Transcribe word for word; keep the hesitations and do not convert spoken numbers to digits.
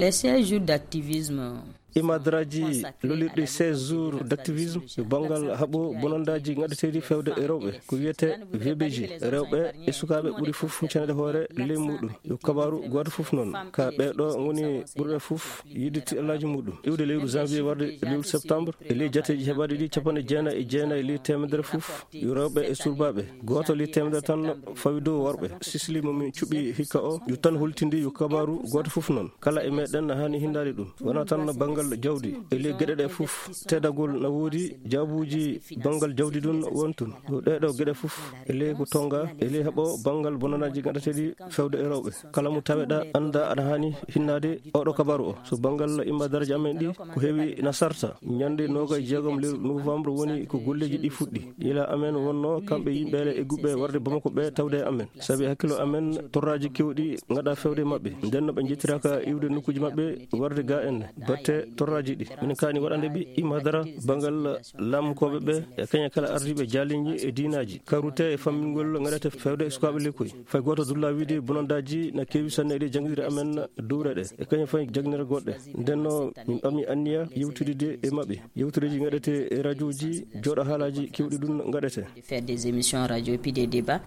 Les seize jours d'activisme. Imadaraaji lollirɗi seize jours d'activisme e banngal haɓo bonandaaji ngaɗeteeɗi fewde e rewɓe, ko wiyetee V B G. Rewɓe e sukaaɓe ɓuri fof ceneede hoore ley muɗum. Yo kabaaru gooto fof noon, ka ɓeeɗo ngoni ɓurɓe fof yiɗde tiɗallaaji muɗum. Iwde lewru janvier warde lewru septembre, e ley jateeji heɓaaɗi ɗi capanɗe jeenayi e jeenayi ley teemedere fof, yo rewɓe e surbaaɓe, gooto ley teemedere tan fawi dow worɓe. Sisli mo min cuɓi hikka o, yo tan holtindi yo kabaaru gooto fof noon. Kala e meɗen haani hindaade ɗum. Wonaa tan banngal jawdi, e ley geɗe ɗe fof, teddagol na woodi, jaabuuji banngal jawdi ɗum won toon. Yo ɗee ɗoo geɗe fof, e ley ko tonnga, e ley haɓo banngal bonanaaji ngaɗeteeɗi fewde e rewɓe. Kala mo taweɗaa, annda aɗa haani hinnaade oɗo kabaaru o. So banngal imadaraaji amen ɗi, ko heewi na sarta. Ñande noogaye jeegom lewru novembre woni ko golleeji ɗi fuɗɗi. Yila amen wonno kamɓe yimɓe eggugol warde Bamako ɓe tawde e amen. Sabi hakkilo amen torraaji keewɗi ngaɗaa fewde e maɓɓe. Nden no ɓe njettiraaka iwde nokkuuji maɓɓe warde ga en. Batte torraaji ɗi. Min kaani waɗande ɓe imadara banngal laamkooɓe ɓe e kañe kala ardiiɓe jaaliñi e diinaaji. Karute e fammingol ngaɗete fewde e sukaaɓe lekkoy. Fay gooto dulla wiide bonandaaji na keewi sanne e ɗe janngirde amen dowre ɗe. E kañum fay janngirde goɗɗe. Nden no min ɓami anniya yewtidde e maɓɓe. Yewtereeji ngaɗete e rajooji, jooɗo haalaaji keewɗi ɗum ngaɗete. Faire des émissions radio et puis des débats.